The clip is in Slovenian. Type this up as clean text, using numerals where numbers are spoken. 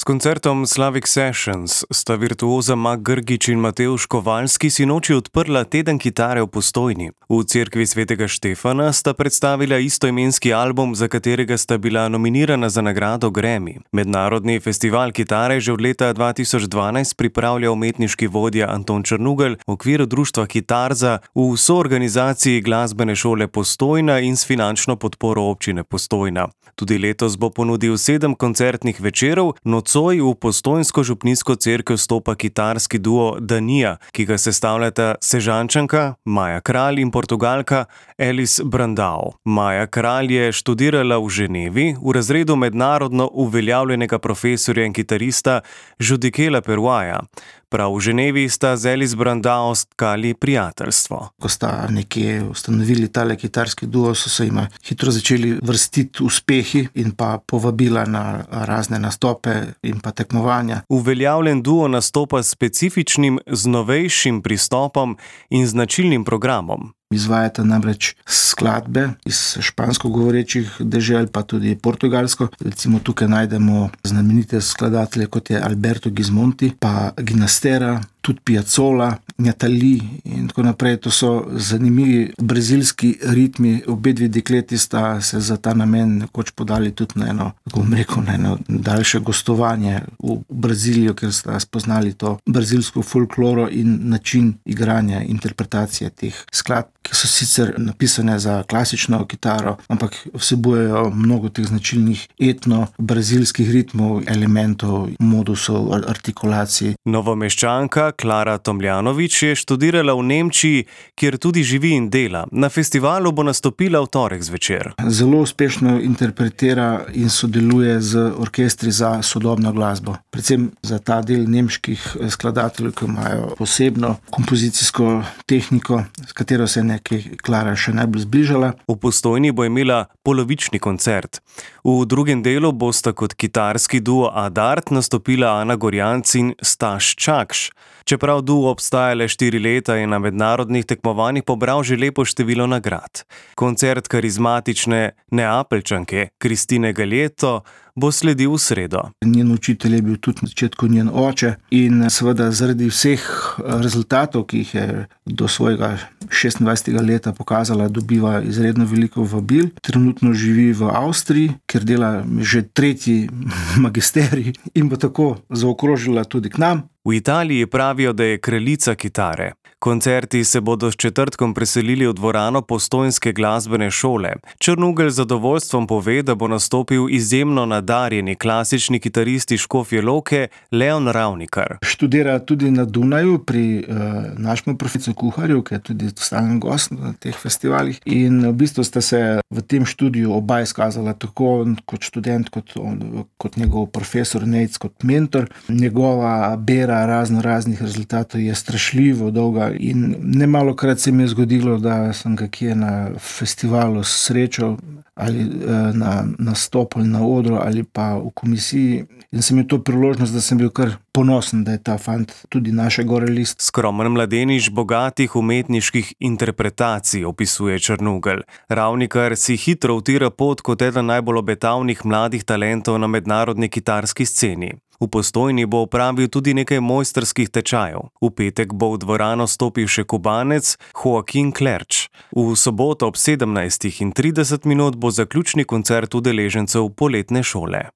S koncertom Slavic Sessions sta virtuoza Mag Grgić in Matevž Kovalski sinoči odprla teden kitare v Postojni. V cerkvi svetega Štefana sta predstavila istoimenski album, za katerega sta bila nominirana za nagrado Grammy. Mednarodni festival kitare že od leta 2012 pripravlja umetniški vodja Anton Črnugelj v okviru društva Kitarza v soorganizaciji Glasbene šole Postojna in s finančno podporo občine Postojna. Tudi letos bo ponudil 7 koncertnih večerov. Nocoj v postojnsko župnijsko cerkev stopa kitarski duo Danija, ki ga sestavljata Sežančanka Maja Kralj in Portugalka Elis Brandao. Maja Kralj je študirala v Ženevi v razredu mednarodno uveljavljenega profesorja in kitarista Judikela Peruaja. Prav v Ženevi sta z Elis Brandao stkali prijateljstvo. Ko sta nekje ustanovili tale kitarski duo, so se jima hitro začeli vrstiti uspehi in pa povabila na razne nastope in pa tekmovanja. Uveljavljen duo nastopa s specifičnim, z novejšim pristopom in značilnim programom. Izvajata namreč skladbe iz špansko govorečih dežel, pa tudi portugalsko. Recimo tukaj najdemo znamenite skladatelje, kot je Alberto Gismonti, pa Ginastera, tudi Piazzolla, Natali in tako naprej. To so zanimivi brazilski ritmi. Obe dve dekleti sta se za ta namen nekoč podali tudi na eno daljše gostovanje v Brazilijo, ker sta spoznali to brazilsko folkloro in način igranja, interpretacije teh skladb, ki so sicer napisane za klasično kitaro, ampak vsebujejo mnogo teh značilnih etno-brazilskih ritmov, elementov, modusov, artikulacij. Novomeščanka Klara Tomljanović je študirala v Nemčiji, kjer tudi živi in dela. Na festivalu bo nastopila v torek zvečer. Zelo uspešno interpretira in sodeluje z orkestri za sodobno glasbo. Predvsem za ta del nemških skladateljev, ki imajo posebno kompozicijsko tehniko, s katero se je Klara še najbolj zbližala. V Postojni bo imela polovični koncert. V drugem delu bosta kot kitarski duo Adart nastopila Ana Gorjanc in Staš Čakš. Čeprav duo obstaja le 4 leta, je na mednarodnih tekmovanjih pobral že lepo število nagrad. Koncert karizmatične Neapeljčanke Kristine Galjeto bo sledil v sredo. Njen učitelj je bil tudi na začetku njen oče in seveda zaradi vseh rezultatov, ki jih je do svojega 26. leta pokazala, dobiva izredno veliko vabil. Trenutno živi v Avstriji, kjer dela že 3. magisterij in bo tako zaokrožila tudi k nam. V Italiji pravijo, da je kraljica kitare. Koncerti se bodo s četrtkom preselili v dvorano Postojnske glasbene šole. Črnugelj z zadovoljstvom pove, da bo nastopil izjemno nadarjeni klasični kitarist iz Škofje Loke Leon Ravnikar. Študira tudi na Dunaju pri našemu profesorju Kuharju, ki je tudi stalen gost na teh festivalih. In v bistvu sta se v tem študiju oba izkazala tako kot študent, kot njegov profesor Nejc, kot mentor. Njegova bera raznih rezultatov je strašljivo dolga in nemalokrat se mi je zgodilo, da sem ga kje na festivalu srečal ali na nastopu ali na odru ali pa v komisiji in sem imel to priložnost, da sem bil kar ponosen, da je ta fant tudi naše gorelist. Skromen mladenič bogatih umetniških interpretacij, opisuje Črnugelj. Ravnikar si hitro utira pot kot eden najbolj obetavnih mladih talentov na mednarodni kitarski sceni. V Postojni bo opravil tudi nekaj mojstrskih tečajev. V petek bo v dvorano stopil še Kubanec Joaquin Klerč. V soboto ob 17:30 bo zaključni koncert udeležencev poletne šole.